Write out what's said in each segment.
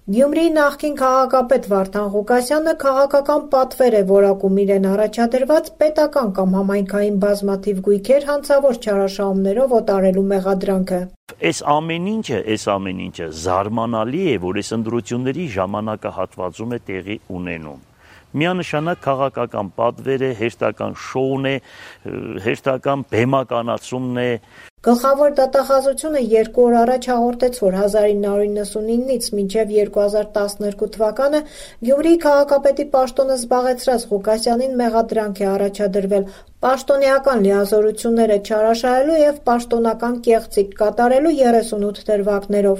Գյումրիի նախկին քաղաքապետ Վարդան Ղուկասյանը քաղաքական պատվեր է որակում իրեն առաջադրված պետական կամ համայնքային բազմաթիվ գույքեր հանցավոր չարաշահումներով օտարելու մեղադրանքը։ Այս ամեն ինչը զարմանալի է, որ այս ընտրությունների ժամանակահատվածում է տեղի ունենում։ Միանշանակ քաղաքական պատվեր է, հերթական շոուն է, հերթական բեմականացումն է։ Գլխավոր դատախազությունը 2 օր առաջ հաղորդեց, որ 1999-ից մինչև 2012 թվականը Գյումրիի քաղաքապետի պաշտոնը զբաղեցրած Ղուկասյանին մեղադրանք է առաջադրվել պաշտոնեական լիազորությունները չարաշահելու և պաշտոնական կեղծիք կատարելու 38 դրվագներով։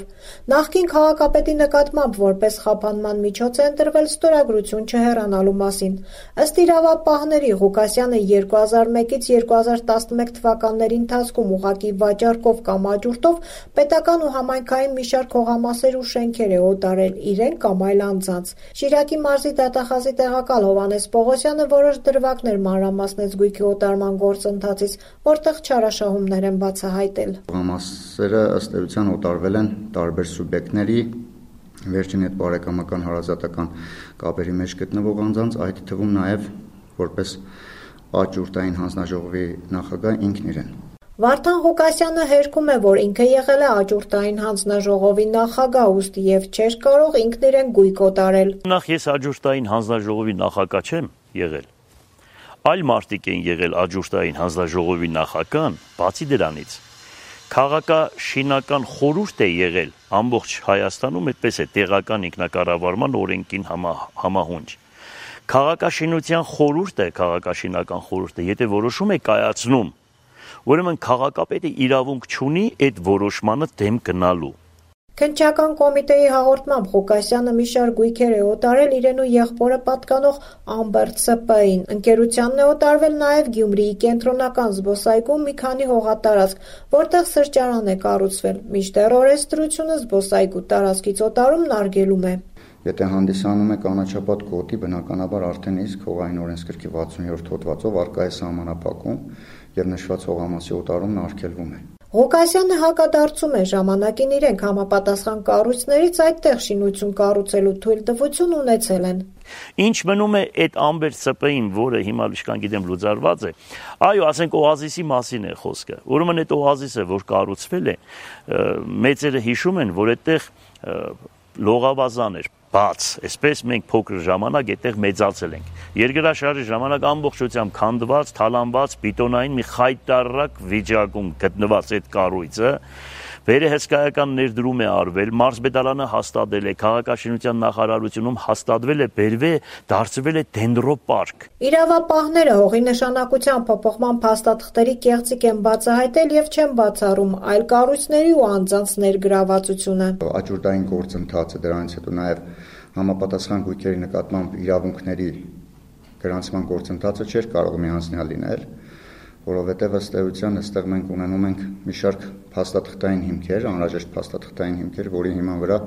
Նախկին քաղաքապետի նկատմամբ որպես խափանման միջոց է ընտրվել ստորագրություն չհեռանալու մասին։ Ըստ իրավապահների, Ղուկասյանը 2001-ից 2011 թվականների ընթացքում ուղղակի վաճառքով կամ աճուրդով պետական ու համայնքային մի շարք հողամասեր ու շենքեր է օտարել իրեն կամ այլ անձանց։ Շիրակի մարզի դատախազի տեղակալ Հովհաննես Պողոսյանը որոշ դրվագներ մանրամասնեց գույքի օտարման գործընթացից, որտեղ չարաշահումներ են բացահայտել։ Հողամասերը ըստ էության օտարվել են տարբեր սուբյեկտների, վերջին հետ բարեկամական հարազատական կապերի մեջ գտնվող անձանց, այդ թվում նաև որպես աճուրդային հանձնաժողովի նախագահ ինքն իրեն։ Վարդան Ղուկասյանը հերքում է, որ ինքը եղել է աճուրդային հանձնաժողովի նախագահ, ուստի և չէր կարող ինքն իրեն գույք օտարել։ Նախ ես աճուրդային հանձնաժողովի նախագահ չեմ եղել։ Այլ մարդիկ են եղել աճուրդային հանձնաժողովի նախագահ, բացի դրանից քաղաքաշինական խորհուրդ է եղել ամբողջ Հայաստանում, այդպես է տեղական ինքնակառավարման օրենքին համահունչ։ Քաղաքաշինության քաղաքաշինական խորհուրդը, եթե որոշում է կայացնում, ուրեմն քաղաքապետը իրավունք չունի այդ որոշմանը դեմ գնալու։ Քննչական կոմիտեի հաղորդմամբ Ղուկասյանը մի շարք գույքեր է օտարել իրեն ու եղբորը պատկանող Ամբերտ ՍՊ-ին։ Ընկերությանն է օտարվել նաև Գյումրիի կենտրոնական զբոսայգում մի քանի հողատարածք, որտեղ սրճարան է կառուցվել, մինչդեռ օրենսդրությունը զբոսայգու տարածքից օտարումն արգելում է։ Եթե հանդիսանում է կանաչապատ գոտի, բնականաբար արդեն իսկ հողային օրենսգրքի 60-րդ հոդվածով առկա է սահմանափակում և նշված հողամասի օտարումն արգելվում է։ Ղուկասյանը հակադարձում է ժամանակին իրենք համապատասխան կառույցներից այդտեղ շինություն կառուցելու թույլտվություն ունեցել են։ Ինչ մնում է այդ Ամբերտ ՍՊ-ին, որը հիմա լիշկան գիտեմ լուծարված է, այո, ասենք օազիսի մասին է խոսքը։ Ուրեմն այդ օազիսը, որ կառուցվել է, մեծերը հիշում են, որ այդտեղ լողավազան էր, բաց, այսպես մենք փոքր ժամանակ այդտեղ մեծացել ենք։ Երկրաշարժի ժամանակ ամբողջությամբ քանդված, թալանված, բետոնային մի խայտառակ վիճակում գտնված այդ կառույցը վերահսկայական ներդրում է արվել, մարզպետարանը հաստատել է, քաղաքաշինության նախարարությունում հաստատվել է, դարձվել է դենդրոպարկ։ Իրավապահները հողի նշանակության փոփոխման փաստաթղթերի կեղծիք են բացահայտել և չեն բացառում այլ կառույցների ու անձանց ներգրավվածությունը։ Աճուրդային գործընթացը, դրանից հետո նաև համապատասխան գույքերի նկատմամբ իրավունքների գրանցման գործընթացը չէր կարող միանձնյալ լինել, որովհետև ըստ էության այստեղ մենք ունենում ենք մի շարք փաստաթղթային հիմքեր, անհրաժեշտ փաստաթղթային հիմքեր, որի հիման վրա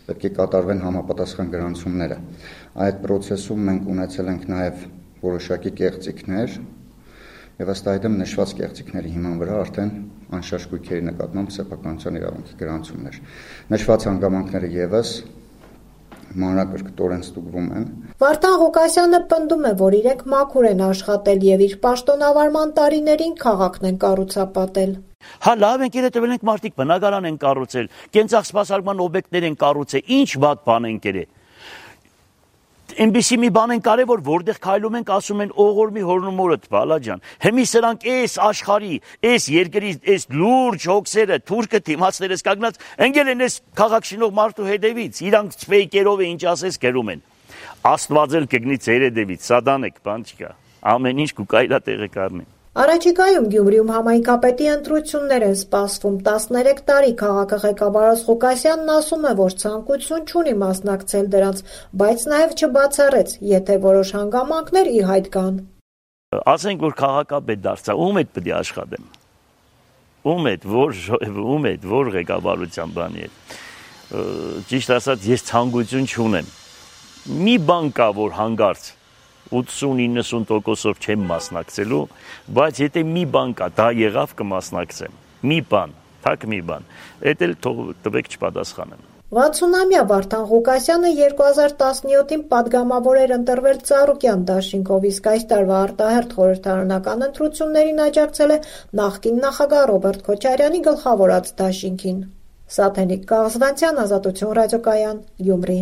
պետք է կատարվեն համապատասխան գրանցումները։ Այդ process-ում մենք ունեցել ենք նաև որոշակի կեղծիքներ, եւ ըստ այդմ նշված կեղծիքների հիման վրա արդեն անշարժ գույքերի նկատմամբ սեփականության իրավունքի գրանցումներ։ Նշված հանգամանքները եւս մանրակրկտորեն ստուգվում են։ Վարդան Ղուկասյանը պնդում է, որ իրենք մաքուր են աշխատել եւ իր պաշտոնավարման տարիներին քաղաքն են կառուցապատել։ Հա լավ ենք երեւել ենք մարդիկ բնակարան են կառուցել, կենցաղ օբյեկտներ են կառուցել, ինչ վատ բան են կերել։ Այնպիսի մի բան են կարևոր, որտեղ քայլում ենք, ասում են օղորմի հորնումորդ, բալա ջան։ Հիմի սրանք այս աշխարհի, այս երկրի, այս լուրջ հոգսերը, թուրքը դիմացներս կանգնած, ընկել են այս քաղաքշինող մարդու հետևից, իրանք ֆեյքերով է ինչ ասես գրում են։ Աստված էլ կգնի ձեր հետևից, սատանեք, բան չկա։ Ամեն ինչ կուկայլա տեղը կառնի։ Առաջիկայում Գյումրիում համայնքապետի ընտրություններ են սպասվում 13 տարի քաղաքղեկավարած Ղուկասյանն ասում է, որ ցանկություն չունի մասնակցել դրանց, բայց նաև չբացառեց, եթե որոշ հանգամանքներ ի հայտ գան։ Ասենք որ քաղաքապետ դարձա, ում հետ պետք է աշխատեմ։ Ում հետ, որ ղեկավարության բանի է։ Ճիշտ ասած, ես ցանկություն չունեմ։ Մի բան կա, որ հանգարց 80-90%-ով չեմ մասնակցելու, բայց եթե մի բան կա, դա եղավ կմասնակցեմ։ Մի բան, թակ մի բան, էդ էլ թող տվեք չպատասխանեմ։ 60-ամյա Վարդան Ղուկասյանը 2017-ին պատգամավոր էր ընտրվել Ծառուկյան դաշինքով, իսկ այս տարվա արտահերթ խորհրդարանական ընտրություններին աջակցել է նախկին նախագահ Ռոբերտ Քոչարյանի գլխավորած դաշինքին։ Սաթենիկ Կաղզվանցյան, Ազատություն ռադիոկայան, Գյումրի։